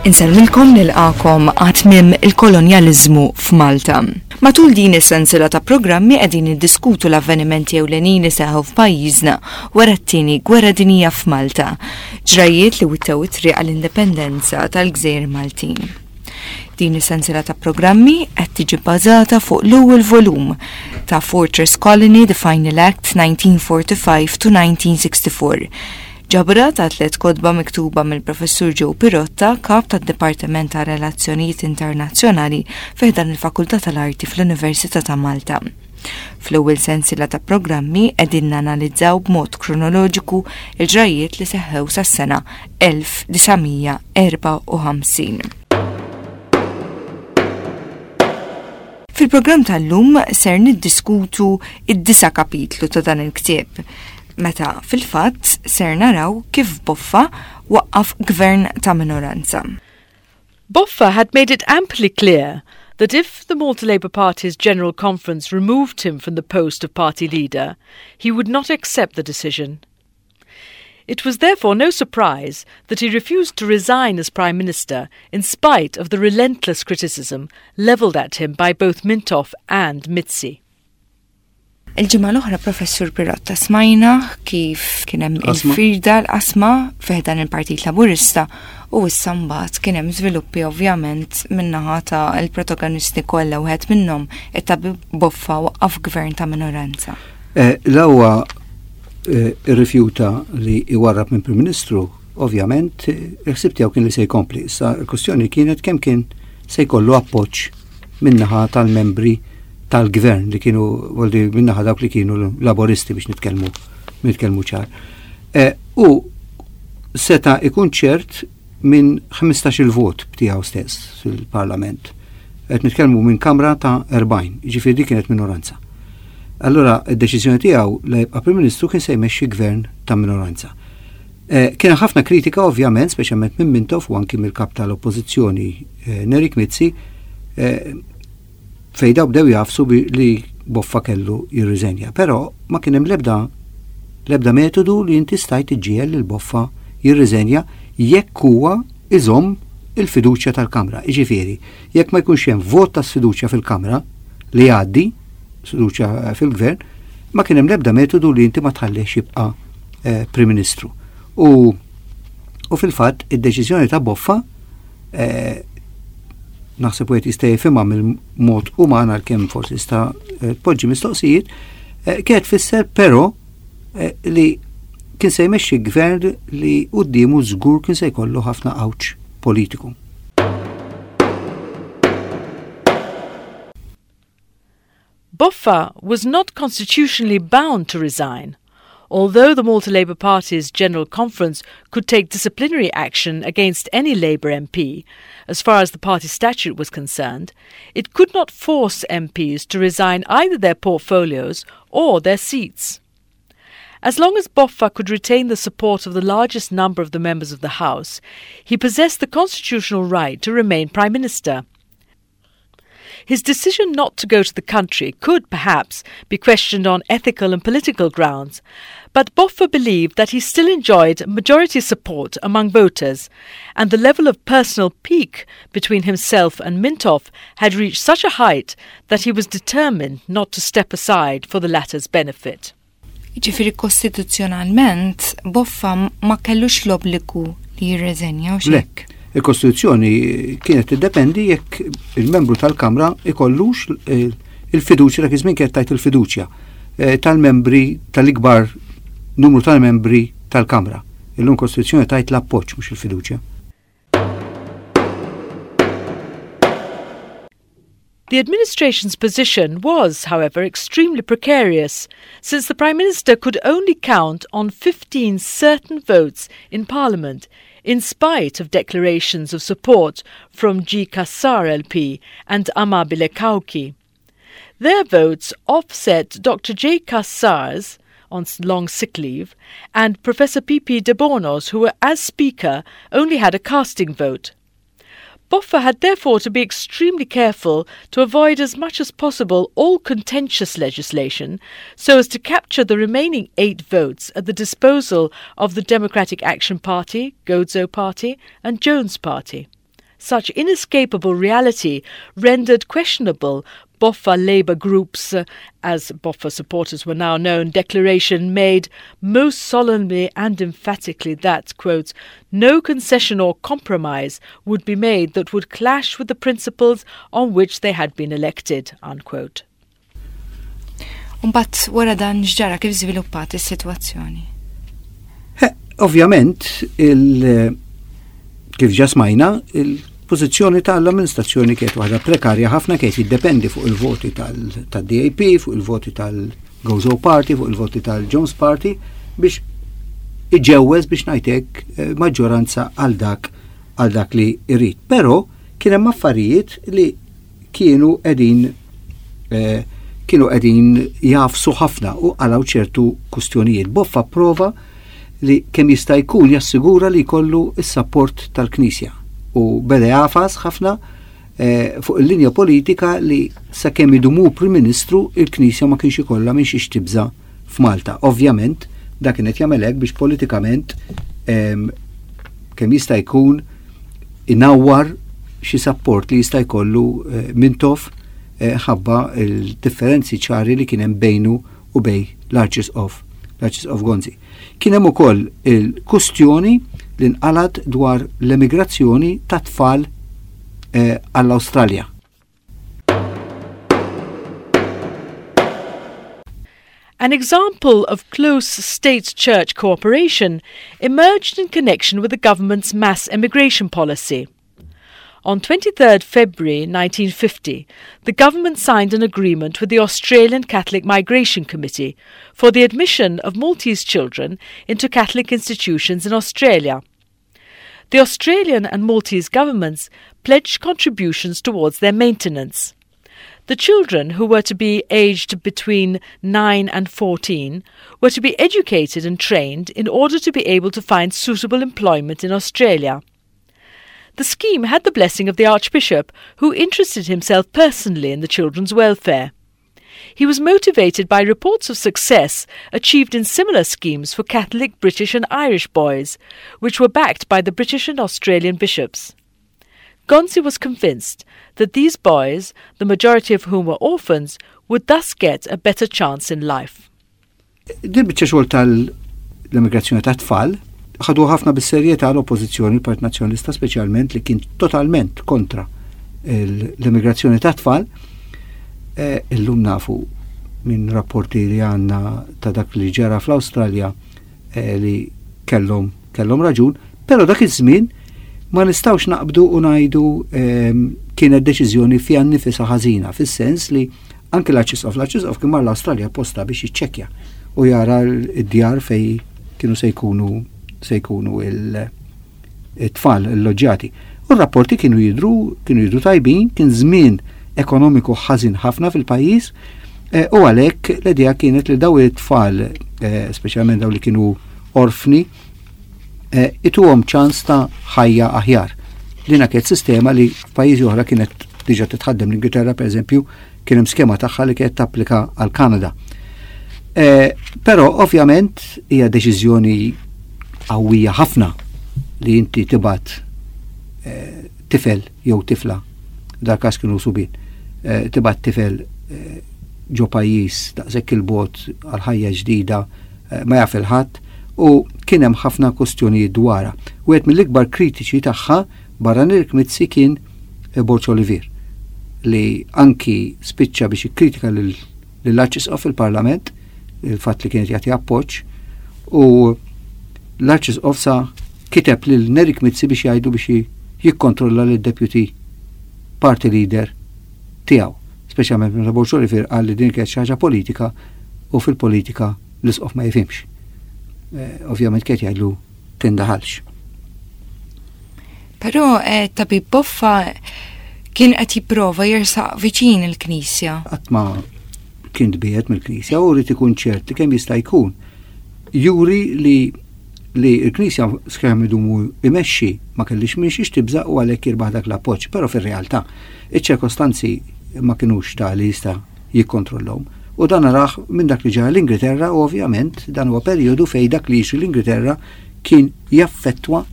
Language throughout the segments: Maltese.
Insellmilkom nilqakom għat-tmiem il-kolonjaliżmu f'Malta. Matul din is-sensiela ta' programmi qegħdin niddiskutu l-avvenimenti ewlenin li seħħu f'pajjiżna wara t-tieni gwerra dinjija f'Malta, ġrajjiet li wittew it-triq għall-indipendenza tal-Gżejjer Maltin. Din is-sensiela ta' programmi qed tiġi bbażata fuq l-ewwel volum ta' Fortress Colony The Final Act 1945 to 1964. Ġabra ta' tlet kotba miktuba mill-Professur Joe Pirotta, kap tad-Dipartiment ta' Relazzjonijiet Internazzjonali fi ħdan il-Fakultà tal-Arti fl-Università ta' Malta. Fl-ewwel sensiela ta' programmi qegħdin nanalizzaw b'mod kronoloġiku l-ġrajjiet li seħħew sas-sena 1954. Fil-programm tal-lum ser niddiskutu id-disa' kapitlu ta' dan il-ktieb, meta fil-fatt ser naraw kif Boffa waqqaf gvern ta' minoranza. Boffa had made it amply clear that if the Malta Labour Party's General Conference removed him from the post of party leader, he would not accept the decision. It was therefore no surprise that he refused to resign as Prime Minister in spite of the relentless criticism levelled at him by both Mintoff and Mizzi. Il-ġimgħa l-oħra Professur Pirotta smajna kif kien hemm il-firda l-qasma fiħdan il-Partit Laburista u issa mbagħad kien hemm żviluppi ovvjament min-naħa ta' l-protagonisti kollha wieħed minnhom it-tabib Boffa waqqaf gvern ta' minoranza. Eh, l-ewwa eh, irrifjuta li iwarrab minn Prim Ministru, ovvjament il-ħsieb tiegħu kien li se jkompli. Issa l-kwestjoni kienet kemm kien se jkollu appoġġ min-naħa tal-membri tal-gvern li kienu voldi min-naħa dawk li kienu laboristi biex nitkellmu nitkellmu ċar. E, u seta ikun ċert minn 15 il-vot tiegħu stess fil-Parlament. Qed nitkellmu minn Kamra ta' 40, jiġifieri dik kienet minoranza. Allura id-deċiżjoni tiegħu li jibqa' Prim Ministru kien se jmexxi gvern ta' minoranza. Eh, kien ħafna kritika ovvjament, speċjalment minn Mintoff u anki mill-kap tal-Oppożizzjoni eh, Nerik Mizzi, eh, fejn daw bdew jafsu li Boffa kellu jirriżenja. Però ma kien hemm l-ebda l-ebda metodu li inti stajt iġġiegħel lil Boffa jirriżenja jekk huwa iżomm il-fiduċja tal-Kamra. Jiġifieri, jekk ma jkunx hemm vot ta' sfiduċja fil-Kamra li jgħaddi, sfiduċja fil-Gvern, ma kien hemm l-ebda metodu li inti ma tħallihx jibqa' eh, Prim Ministru. U, u fil-fatt id-deċiżjoni ta' Boffa eh, naħseb wieħed jista' jifhimha mill-mod uman għalkemm forsi jista' eh, tpoġġi mistoqsijiet, eh, kienet tfisser però eh, li kien se jmexxi gvern li quddiemu żgur kien se jkollu ħafna għawġ politiku. Boffa was not constitutionally bound to resign. Although the Malta Labour Party's General Conference could take disciplinary action against any Labour MP, as far as the party statute was concerned, it could not force MPs to resign either their portfolios or their seats. As long as Boffa could retain the support of the largest number of the members of the House, he possessed the constitutional right to remain Prime Minister. His decision not to go to the country could, perhaps, be questioned on ethical and political grounds, but Boffa believed that he still enjoyed majority support among voters, and the level of personal pique between himself and Mintoff had reached such a height that he was determined not to step aside for the latter's benefit. Jiġifieri kostituzzjonalment Boffa ma kellux l-obbligu li jirreżenja u Le, il-Kostituzzjoni kienet tiddependi jekk il-membru tal-Kamra ikollux il-fiduċja dak iż-żmien kienet tajt il-fiduċja eh, tal-membri tal-ikbar numru tal-membri tal-Kamra. Illum Kostituzzjoni tajt l-appoġġ mhux il-fiduċja. The administration's position was, however, extremely precarious, since the Prime Minister could only count on 15 certain votes in Parliament, in spite of declarations of support from G. Cassar LP and Amabile Cauchi. Their votes offset Dr. J. Cassar's, on long sick leave, and Professor P. P. de Bono's, who, as Speaker, only had a casting vote. Boffa had therefore to be extremely careful to avoid as much as possible all contentious legislation so as to capture the remaining eight votes at the disposal of the Democratic Action Party, Gozo Party, and Jones Party. Such inescapable reality rendered questionable Boffa Labour Group's, as Boffa supporters were now known, declaration made most solemnly and emphatically that, quote, no concession or compromise would be made that would clash with the principles on which they had been elected, unquote. Umbat wara dan x'ġara kif żviluppat is-sitwazzjoni? Ovvjament, il kif ġa smajna, il-pożizzjoni tal-amministrazzjoni kienet waħda prekarja ħafna kienet jiddependi fuq il-voti tal-DAP, fuq il-voti tal-Gozo Party, fuq il-voti tal-Jones Party biex iġewweż biex ngħidlek eh, maġġoranza għal dak għal dak li jrid. Però kien hemm affarijiet li kienu qegħdin eh, kienu qegħdin jafsu ħafna u qalgħu ċertu kustjonijiet. Boffa prova li kemm jista' jkun jassigura li jkollu s-sapport tal-Knisja u beda jafas ħafna eh, fuq il-linja politika li sakemm idumu Prim Ministru il-Knisja ma kienx ikollha minn xiex tibża' f'Malta. Ovvjament, dak kien qed jagħmel hekk biex politikament ehm, kemm jista' jkun inawwar xi sapport li jista' jkollu eh, Mintoff eh, ħabba il-differenzi ċari li kien hemm bejnu u bej l-Arċisqof l-Arċisqof Gonzi. Kien hemm ukoll il-kustjoni li nqalat dwar l-emigrazzjoni ta' tfal eh, għall-Awstralja. An example of close state church cooperation emerged in connection with the government's mass emigration policy. On 23rd February 1950, the government signed an agreement with the Australian Catholic Migration Committee for the admission of Maltese children into Catholic institutions in Australia. The Australian and Maltese governments pledged contributions towards their maintenance. The children, who were to be aged between 9 and 14, were to be educated and trained in order to be able to find suitable employment in Australia. The scheme had the blessing of the Archbishop, who interested himself personally in the children's welfare. He was motivated by reports of success achieved in similar schemes for Catholic British and Irish boys, which were backed by the British and Australian bishops. Gonzi was convinced that these boys, the majority of whom were orphans, would thus get a better chance in life. Din biċċa xogħol tal-immigrazzjoni ta' tfal ħadu ħafna bis-serjetà l-Oppożizzjoni, il-Partit Nazzjonalista speċjalment li kien totalment kontra l-immigrazzjoni ta' tfal. Eh, illum nafu minn rapporti li għanna ta' dak li ġara fl-Awstralja eh, li kellhom kellhom raġun, però dak iż-żmien ma nistgħux naqbdu u ngħidu ehm, kienet deċiżjoni fiha nnifisha ħażina, fis-sens li Anki l-Arċisqof, l-Arċisqof kien mar l-Awstralja apposta biex jiċċekkja u jara d-djar fej kienu se jkunu se jkunu il-tfal il-loġġjati. U r-rapporti kienu jidru kienu jidru tajbin, kien żmien ekonomiku ħażin ħafna fil-pajjiż eh, u għalhekk l-idea kienet li daw it-tfal, eh, speċjalment daw li kienu orfni, eh, ituhom ċans ta' ħajja aħjar. Dina kienet sistema li f'pajjiżi oħra kienet diġà titħaddem l-Ingilterra pereżempju kien hemm skema tagħha li kienet tapplika għal Kanada. Eh, però ovvjament hija deċiżjoni qawwija ħafna li inti tibgħat eh, tifel jew tifla, dal każ kienu subin, eh, tibgħat tifel ġo pajjiż daqshekk il-bot għal ħajja ġdida ma jaf il-ħadd u kien hemm ħafna kustjonijiet dwarha. Wieħed mill-ikbar kritiċi tagħha barra Nerik Mizzi kien Borg Olivier li anki spiċċa biex ikkritika lill-Arċisqof fil-Parlament il-fatt li kienet jagħti appoġġ u l-Arċisqof sa kiteb lil Nerik Mizzi biex jgħidu biex jikkontrolla lid deputy party leader tiegħu. Speċjalment meta Borg Olivier qal li din kienet xi ħaġa politika u fil-politika l-isqof ma jifhimx. Eh, ovvjament kienet jgħidlu tindaħalx. Però eh, tabib Boffa kien qed jipprova jersaq viċin il-Knisja. Qatt ma kien tbiegħed mill-Knisja u rrid ikun ċert li kemm jista' jkun juri li li l-Knisja skemm idumu imexxi ma kellix minn xiex tibża' u għalhekk jirbaħ dak l-appoġġ, però fir-realtà iċ-ċirkostanzi ma kinux ta' li jista' jikkontrollhom. U dan narah minn dak li ġara l-Ingilterra u ovvjament dan huwa perjodu fejn dak li jiġri l-Ingilterra kien jaffettwa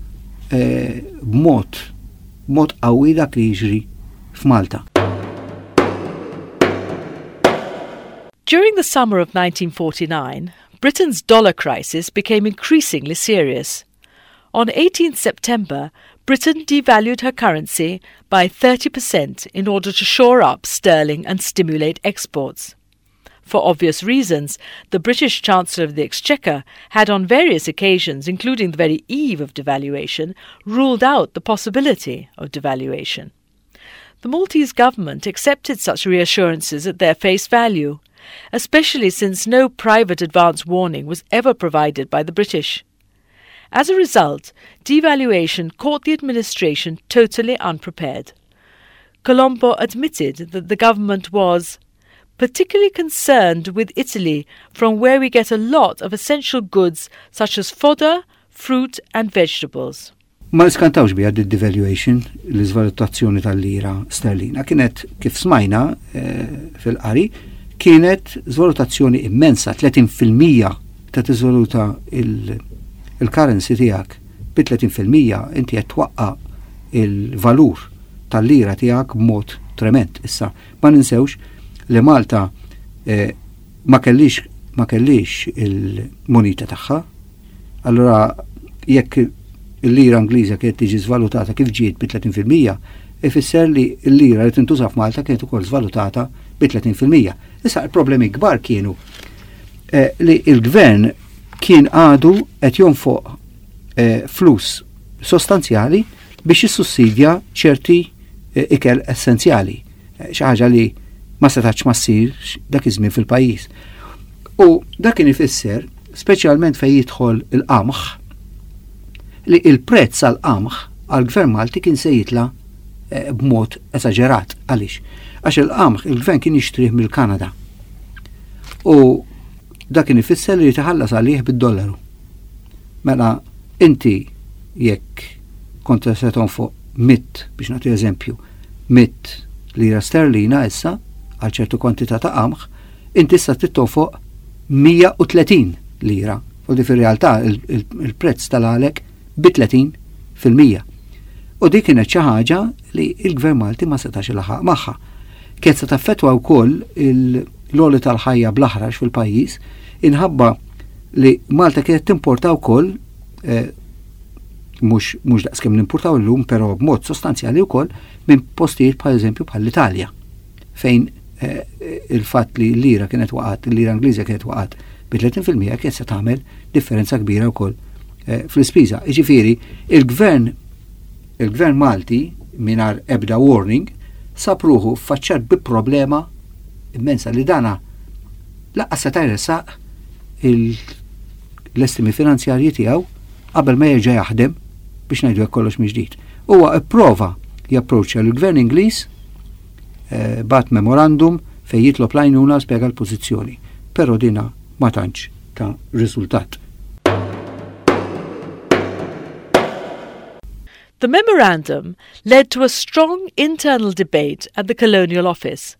eh, b'mod b'mod qawwi dak li jiġri f'Malta. During the summer of 1949, Britain's dollar crisis became increasingly serious. On 18 September, Britain devalued her currency by 30% in order to shore up sterling and stimulate exports. For obvious reasons, the British Chancellor of the Exchequer had on various occasions, including the very eve of devaluation, ruled out the possibility of devaluation. The Maltese government accepted such reassurances at their face value, especially since no private advance warning was ever provided by the British. As a result, devaluation caught the administration totally unprepared. Colombo admitted that the government was particularly concerned with Italy, from where we get a lot of essential goods such as fodder, fruit and vegetables. Ma niskantawx biha d-devaluation, l-iżvalutazzjoni tal-lira sterlina. Kienet, kif smajna eh, fil-qari, kienet żvalutazzjoni immensa, 30% ta' tiżvaluta il-currency tiegħek bi 30% inti qed twaqqa il-valur tal-lira tiegħek b'mod trement. Issa, ma ninsewx li Malta eh, ma kellix ma kellix il-munita tagħha. Allura jekk il-lira Ingliża kienet tiġi żvalutata kif ġiet bi 30%, ifisser li l-lira li tintuża f'Malta kienet ukoll żvalutata bi 30%. Issa il-problemi kbar kienu eh, li il-gvern kien għadu qed jonfoq eh, flus sostanzjali biex jissussidja ċerti eh, ikel essenzjali, eh, xi ħaġa li ma setax ma ssirx dak iż-żmien fil-pajjiż. U dak kien ifisser, speċjalment fejn jidħol il-qamħ, li il-prezz għal-qamħ għal-gvern Malti kien se jitla eh, b'mod esaġerat. Għaliex? Għax il-qamħ il-gvern kien jixtrih mill-Kanada. U dak kien ifisser li jitħallas għalih bid-dollaru. Mela inti jekk kont se tonfoq mitt, biex nagħti eżempju, mitt lira sterlina issa għal ċertu kwantità ta' qamħ, inti issa trid tonfoq 130 lira. U di fir-realtà il-prezz tal-għalek bi 30%. U dik kienet xi ħaġa li l-Gvern Malti ma setax ilaħaq magħha. Kienet se taffettwa wkoll l-għoli tal-ħajja bl-aħrax fil-pajjiż inħabba li Malta kienet timporta wkoll eh, mhux mhux daqskemm nimpurtaw illum, però b'mod sostanzjali wkoll minn postijiet bħal eżempju bħal l-Italja fejn eh, il-fatt li l-lira kienet waqgħet, il-lira Ingliża kienet waqgħet bi 30% kienet se tagħmel differenza kbira wkoll eh, fl-ispiża. Jiġifieri il-gvern il-gvern Malti mingħajr ebda warning sab ruħu faċċat bi problema immensa li dana laqqas seta' jressaq l-estimi finanzjarji tiegħu qabel ma jerġa' jaħdem biex ngħidu hekk kollox mill-ġdid. Huwa ipprova japproċċja l-Gvern Ingliż eh, bat memorandum fejn jitlob l-għajnuna spjega l-pożizzjoni, però dina ma tantx ta' riżultat. The memorandum led to a strong internal debate at the Colonial Office,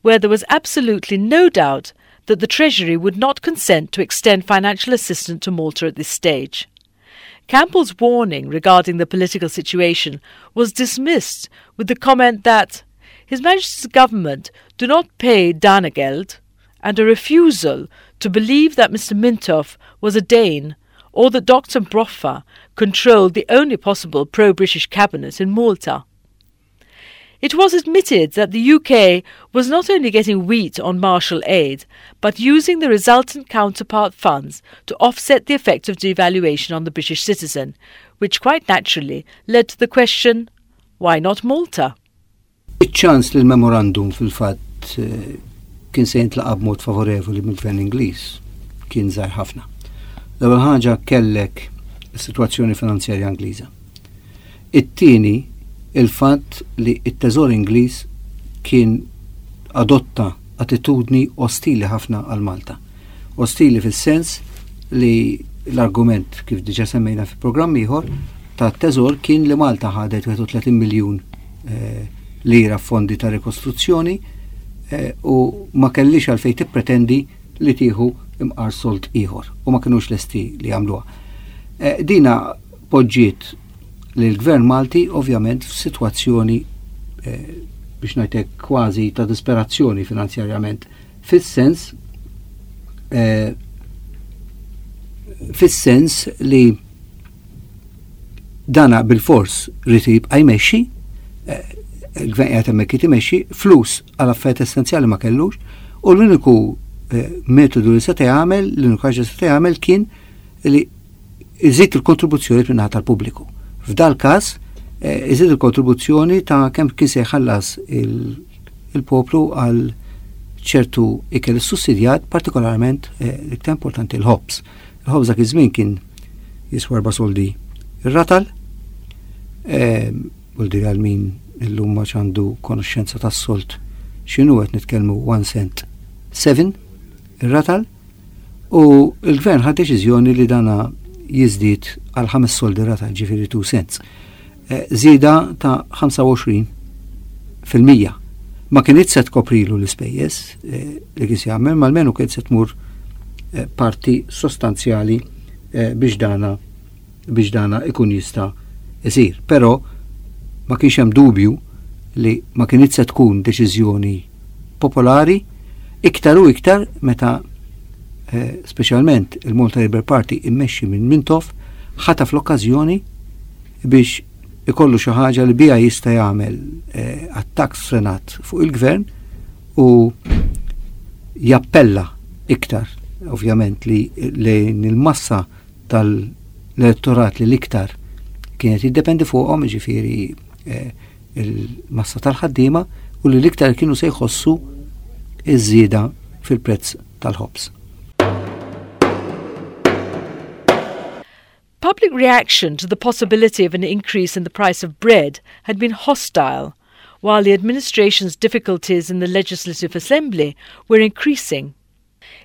where there was absolutely no doubt that the Treasury would not consent to extend financial assistance to Malta at this stage. Campbell's warning regarding the political situation was dismissed with the comment that His Majesty's government do not pay Danegeld and a refusal to believe that Mr. Mintoff was a Dane or that Dr. Broffa controlled the only possible pro-British cabinet in Malta. It was admitted that the UK was not only getting wheat on Marshall aid, but using the resultant counterpart funds to offset the effect of devaluation on the British citizen, which quite naturally led to the question, why not Malta? Iċ-ċans li l-memorandum fil-fatt eh, kien se jintlaqa' b'mod favorevoli mill-Gvern Ingliż kien żgħir ħafna. L-ewwel ħaġa kellek is-sitwazzjoni finanzjarja Ingliża. It-tieni, il-fatt li t-Teżor Ingliż kien adotta attitudni ostili ħafna għal Malta. Ostili fis-sens li l-argument, kif diġa semmejna fi programm ieħor, ta' teżor kien li Malta ħadet 31 miljun eh, lira fondi ta' rikostruzzjoni eh, u ma kellix għalfejn tippretendi li tieħu imqar sold ieħor u ma kinux lesti li jagħmluha. Eh, dina poġġiet li l-Gvern Malti ovvjament f'sitwazzjoni eh, biex ngħidlek kważi ta' disperazzjoni finanzjarjament fis-sens eh, fis-sens li dana bil-fors rrid jibqa' jmexxi, eh, il-gvern qiegħed hemmhekk imexxi, flus għal affarijiet essenzjali ma kellux, u l-uniku eh, metodu li seta' jagħmel, l-uniku ħaġa seta' jagħmel kien li iżid il-kontribuzzjoni minn tal-pubbliku. F'dal każ eh, iżid il-kontribuzzjoni ta' kemm kien se jħallas il-poplu għal ċertu ikel sussidjat, partikolarment l-iktar importanti l-ħobż. Il-ħobż dak iż-żmien kien jiswa erba' soldi ir-ratal. Ehm, u l għal min illum ma għandu konoxxenza tas-solt x'inhu qed nitkellmu 1 cent 7 ir-ratal u l-gvern ħad deċiżjoni li dana jiżdied għal 5 soldi ratal ġifieri 2 cents. Eh, żieda ta' 25%. Ma kienet se tkoprilu l-ispejjeż eh, li kien se jagħmel, ma almenu kienet se tmur eh, parti sostanzjali biex dana biex dana ikun jista' isir. Però ma kienx hemm dubju li ma kienet se tkun deċiżjoni popolari iktar u iktar meta speċjalment il-Malta Labour Party immexxi minn Mintoff ħataf l-okkażjoni biex ikollu xi ħaġa li biha jista' jagħmel eh, attakk sfrenat fuq il-gvern u jappella iktar ovvjament li lejn il-massa tal-elettorat li l-iktar kienet jiddependi fuqhom, ġifieri eh, il-massa tal-ħaddiema u li l-iktar kienu se jħossu iż-żieda fil-prezz tal-ħobż. Public reaction to the possibility of an increase in the price of bread had been hostile, while the administration's difficulties in the Legislative Assembly were increasing.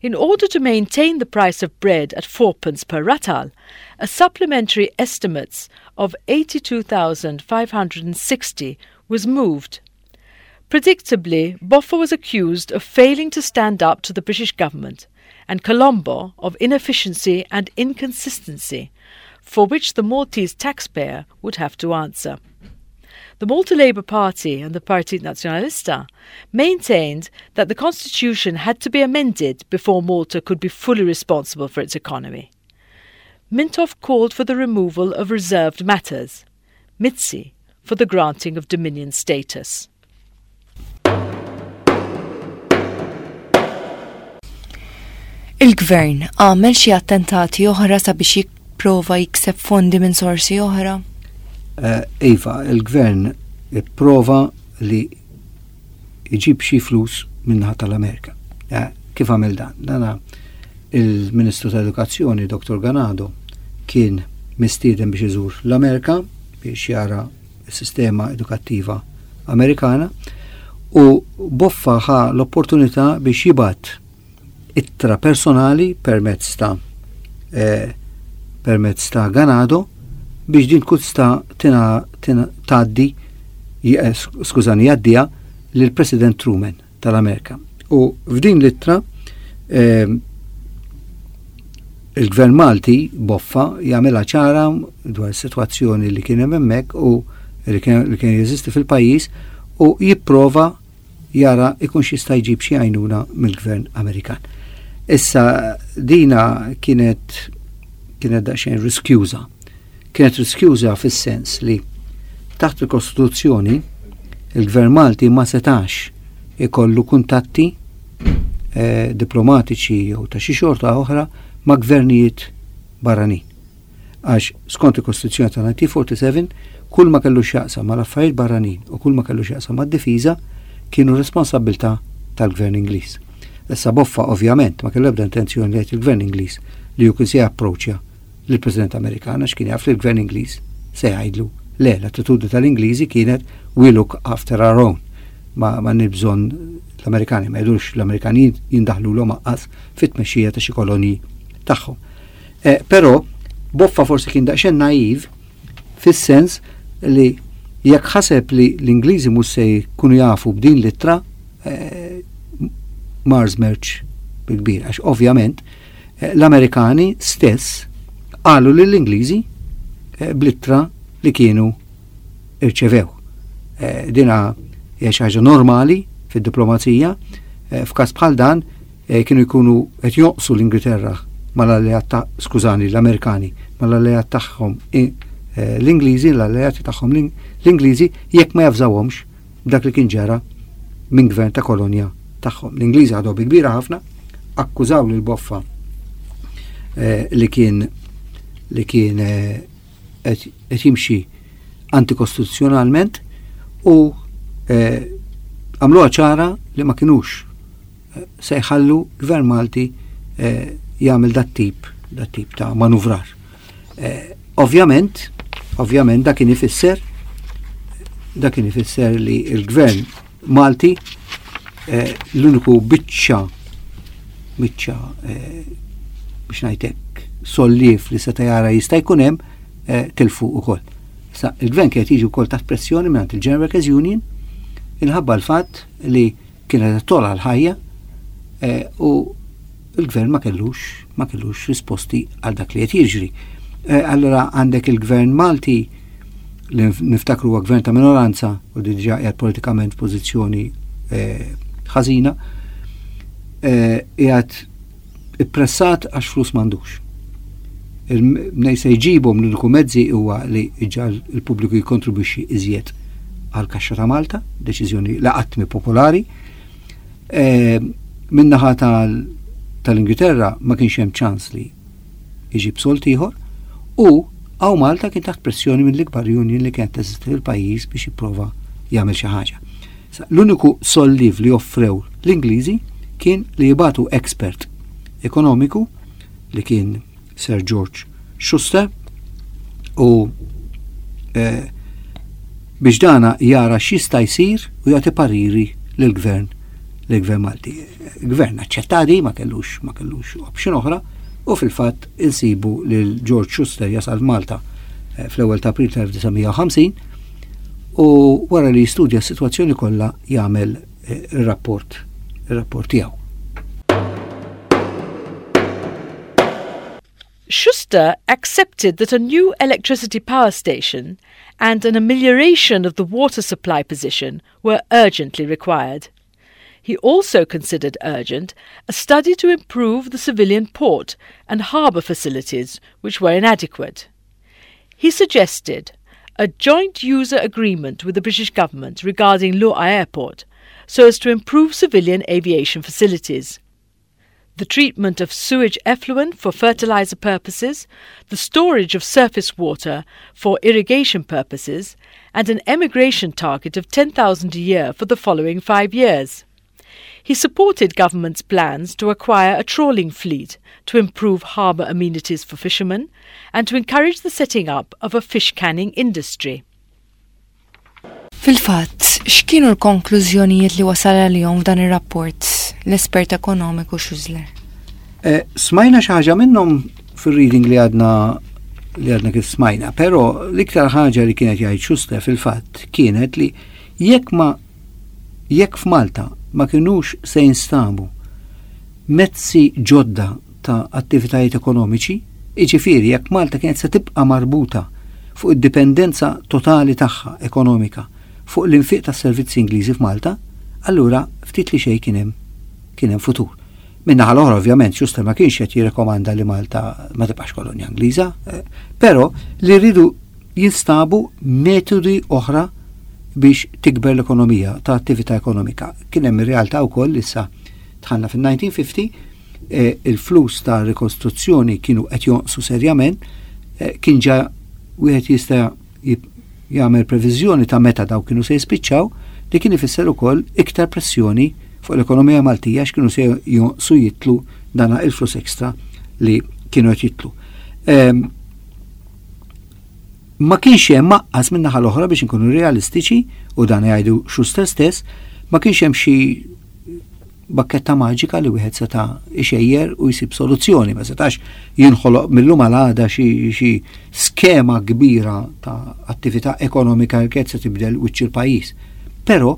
In order to maintain the price of bread at fourpence per ratal, a supplementary estimates of 82,560 was moved. Predictably, Boffa was accused of failing to stand up to the British government and Colombo of inefficiency and inconsistency, for which the Maltese taxpayer would have to answer. The Malta Labour Party and the Partit Nazzjonalista maintained that the constitution had to be amended before Malta could be fully responsible for its economy. Mintoff called for the removal of reserved matters, Mizzi for the granting of Dominion status. Il-Gvern għamel xi attentati oħra sabiex jipprova jikseb fondi minn sorsi oħra? Eh, iva, il-Gvern ipprova li jġib xi flus minnaħa tal-Amerika. Eh, kif għamel dan? Dana il-Ministru tal-Edukazzjoni, Dr. Ganado, kien mistieden biex iżur l-Amerika biex jara s-sistema edukattiva Amerikana u Boffa ħa l-opportunità biex jibgħat ittra personali permezz ta' eh, permezz ta' Ganado biex din tkun tista' tgħaddi eh, skużani jgħaddiha lill-President Truman tal-Amerika. U f'din l-ittra eh, il-Gvern Malti Boffa jagħmilha ċara dwar is-sitwazzjoni li kien hemm hemmhekk u li kien jeżisti fil-pajjiż u jipprova jara ikunx jista' jġib xi għajnuna mill-Gvern Amerikan. Issa dina kienet kienet daqsxejn riskjuża. Kienet riskjuża fis-sens li taħt il-Kostituzzjoni il-Gvern Malti ma setax ikollu kuntatti eh, diplomatiċi jew ta' xi xorta oħra ma' gvernijiet barranin. Għax skont il-Kostituzzjoni ta' 1947 kull ma kellu x'jaqsam mal-affarijiet barranin u kull ma kellu x'jaqsam mad-difiża kienu responsabbiltà tal-Gvern Ingliż. Issa Boffa ovvjament ma kellu ebda intenzjoni li jgħid il-Gvern Ingliż li hu kien se japproċċja lill-President Amerikan għax kien jaf li l-Gvern Ingliż se jgħidlu le, l-attitudni tal-Ingliżi kienet we look after our own. Ma, ma bżonn l-Amerikani, ma jidux l-Amerikani jindaħlu l aqqas fit-tmexxija ta' xi kolonji tagħhom. Eh, però Boffa forsi kien daqsxejn naiv fis-sens li jekk ħaseb li l-Ingliżi mhux se jkunu jafu b'din l-ittra eh, Mars merċ bil-kbir, għax ovvjament eh, l-Amerikani stess qalu lill-Ingliżi bl-ittra li kienu irċevew. Eh, dina hija xi ħaġa normali fid-diplomazija, eh, f'każ bħal dan eh, kienu jkunu qed jonqsu l-Ingilterra mal-alleat ta' skużani l-Amerikani mal-alleat tagħhom l-Ingliżi, l-alleati tagħhom l-Ingliżi jekk ma jafżawhomx dak li kien ġara minn gvern ta' kolonja tagħhom. L-Ingliżi ħadu bi kbira ħafna, akkużaw lil Boffa li kien li kien qed jimxi antikostituzzjonalment u eh, għamluha ċara li ma kinux eh, se jħallu gvern Malti eh, jagħmel dat tip dat tip ta' manuvrar. Ovvjament, ovvjament dak kien ifisser dak kien ifisser li l-gvern Malti l-uniku biċċa biċċa biex ngħidlek solliev li seta' jara jista' jkun hemm eh, tilfu ukoll. Sa il-gvern kienet jiġi wkoll taħt pressjoni mingħand il-General Workers Union inħabba l-fatt li kienet tola l-ħajja eh, u il-gvern ma kellux ma kellux risposti għal dak li qed jiġri. Eh, allora għandek il-gvern Malti li niftakru huwa gvern ta' minoranza u diġà qiegħed politikament f'pożizzjoni eh, ħażina, eh, qiegħed ippressat għax flus m'għandux. Mnej se jġibhom l-uniku mezzi huwa li iġġal il-pubbliku jikkontribwixxi iżjed għal kaxxa ta' Malta, deċiżjoni li qatt mi popolari. Eh, min-naħa tal-Ingilterra ma kienx hemm ċans li jġib sold ieħor u hawn Malta kien taħt pressjoni mill-ikbar union li kienet teżisti fil-pajjiż biex jipprova jagħmel xi ħaġa. L-uniku solliv li offrew l-Ingliżi kien li jibatu expert ekonomiku li kien Sir George Schuster u eh, biex dana jara x'jista' jsir u jagħti pariri lill-gvern lill-gvern Malti. Gvern aċċettadi ma kellux ma kellux option oħra u fil-fatt insibu lil George Schuster jasal Malta eh, fl-ewwel ta' April 1950 u wara li jistudja s-sitwazzjoni kollha jagħmel eh, ir-rapport ir-rapport tiegħu. Schuster accepted that a new electricity power station and an amelioration of the water supply position were urgently required. He also considered urgent a study to improve the civilian port and harbour facilities, which were inadequate. He suggested a joint user agreement with the British government regarding Luqa Airport so as to improve civilian aviation facilities the treatment of sewage effluent for fertilizer purposes, the storage of surface water for irrigation purposes, and an emigration target of 10,000 a year for the following five years. He supported government's plans to acquire a trawling fleet to improve harbour amenities for fishermen and to encourage the setting up of a fish canning industry. Fil-fatt, x'kienu l-konklużjonijiet li wasal għalihom f'dan ir-rapport l-espert ekonomiku Schussler? Eh, smajna xi ħaġa minnhom fir-reading li għadna li għadna kif smajna, però l-iktar ħaġa li kienet jgħid Schussler fil-fatt kienet li jekk ma jekk f'Malta ma kinux se jinstabu mezzi ġodda ta' attivitajiet ekonomiċi, jiġifieri jekk Malta kienet se tibqa' marbuta fuq id-dipendenza totali tagħha ekonomika fuq l-infiq tas-servizzi Ingliżi f'Malta, allura ftit li xejn kien hemm kien hemm futur. Min-naħa l-oħra ovvjament Schuster ma kienx qed jirrekomanda li Malta ma tibqax kolonja Ingliża, eh, però li rridu jinstabu metodi oħra biex tikber l-ekonomija ta' attività ekonomika. Kien hemm ir-realtà wkoll issa dħalna fin-1950 eh, il-flus ta' rikostruzzjoni kienu qed jonqsu serjament, eh, kien ġa wieħed jista' jagħmel previżjoni ta' meta daw kienu se jispiċċaw, li kien ifisser ukoll iktar pressjoni fuq l-ekonomija Maltija x'kienu se jonqsu jitlu dana il-flus ekstra li kienu qed jitlu. Ehm, ma kienx hemm aqqas minn naħa l-oħra biex inkunu realistiċi u dan jgħidu Schuster stess, ma kienx hemm xi bakketta maġika li wieħed seta' ixejjer u jsib soluzzjoni, ma setax jinħoloq millum għal għada xi skema kbira ta' attività ekonomika li kienet se tibdel wiċċ il-pajjiż. Però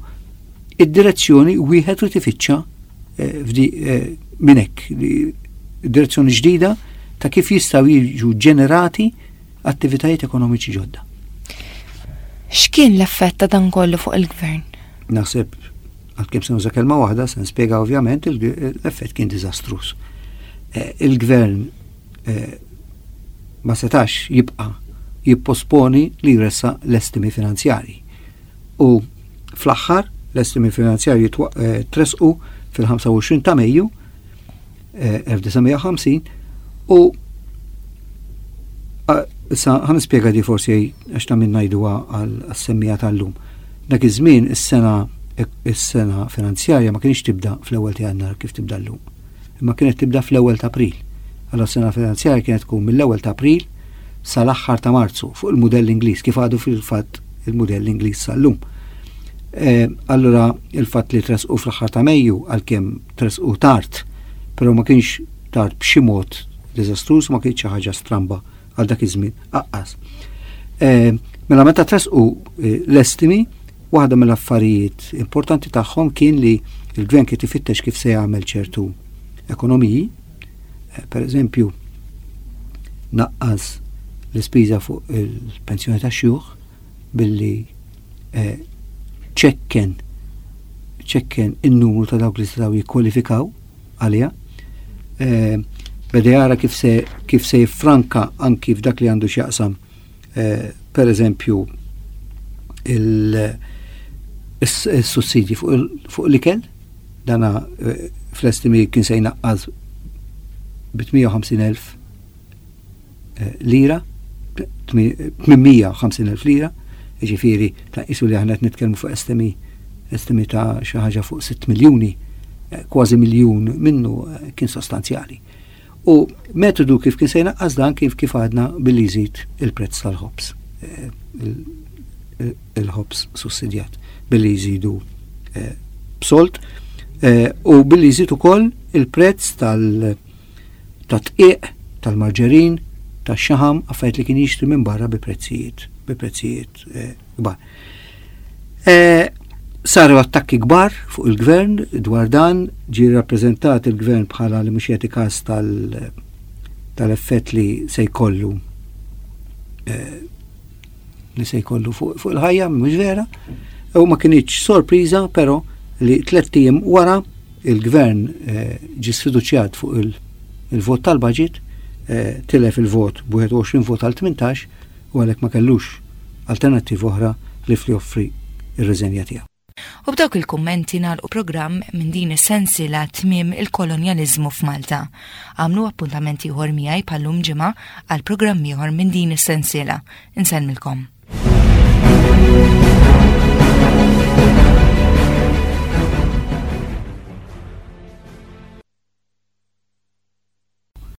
id-direzzjoni wieħed irid ifittxa eh, eh, minn hekk, direzzjoni ġdida ta' kif jistgħu jiġu ġenerati attivitajiet ekonomiċi ġodda. X'kien l-effett ta' dan kollu fuq il-gvern? Naħseb għalkemm se nuża kelma waħda se nispjega ovvjament l-effett kien diżastruż. Eh, il-gvern eh, ma setax jibqa' jipposponi li jressa l-estimi finanzjarji. U fl-aħħar l-estimi finanzjarji eh, tresqu fil-25 ta' Mejju 1950 u issa ħa nispjega di forsi għax ta' minn ngħiduha għas-semmija tal-lum. Dak iż-żmien is-sena is-sena finanzjarja ma kienx tibda fl-ewwel ta' Jannar kif tibda llum. Imma kienet tibda fl-ewwel ta' April. Allora s-sena finanzjarja kienet tkun mill-ewwel ta' April sal-aħħar ta' Marzu fuq il-mudell Ingliż kif għadu fil-fatt il-mudell Ingliż sal-lum. Eh, allura il-fatt li tresqu fl-aħħar ta' Mejju għalkemm tressqu tard, però ma kienx tard b'xi mod diżastruż, ma kienx xi ħaġa stramba għal dak iż-żmien aqqas. Eh, mela meta tressqu eh, l-estimi, waħda mill-affarijiet importanti tagħhom kien li l-gvern kien ifittex kif se jagħmel ċertu ekonomiji, eh, per eżempju, naqqas l-ispiża fuq il-pensjoni ta' xjuħ billi ċekken ċekken in-numru ta' dawk li setgħu jikkwalifikaw għaliha. Eh, beda jara kif se kif se jiffranka anki f'dak li għandu x'jaqsam eh, per eżempju il-sussidji fuq l-ikel, dana eh, fl-estimi kien se jnaqqas bi 58,000 eh, lira, 850.000 lira, ġifiri ta' isu li aħna qed nitkellmu fuq estimi estimi ta' xi ħaġa fuq 6 miljuni, eh, kważi miljun minnu eh, kien sostanzjali. U metodu kif kien se jnaqqas dan kif kif għadna billi jżid il-prezz tal-ħobż. Il-ħobż sussidjat billi jżidu b'solt u billi jżid ukoll il-prezz tal- tad-dqiq, tal-marġerin, tax-xaħam, affarijiet li kien jixtri minn barra bi prezzijiet, bi prezzijiet eh, kbar. Eh, saru attakki kbar fuq il-gvern dwar dan, ġie rappreżentat il-gvern bħala li mhux jagħti każ tal-effett li se jkollu eh, li se jkollu fuq il-ħajja, mhux vera. U ma kinitx sorpriża però li tlett ijiem wara il-gvern eh, ġie sfiduċjat fuq il-vot tal-budget, eh, tilef il-vot b'21 vot għal 18 u għalhekk ma kellux alternattiva oħra li fli joffri ir-riżenja tiegħu. U b'dawk il-kummenti nagħlqu programm minn din is-sensiela Tmiem il-Kolonjaliżmu f'Malta. Agħmlu appuntament ieħor miegħi bħal-lum ġimgħa għal programm ieħor minn din is-sensiela. Insellmilkom.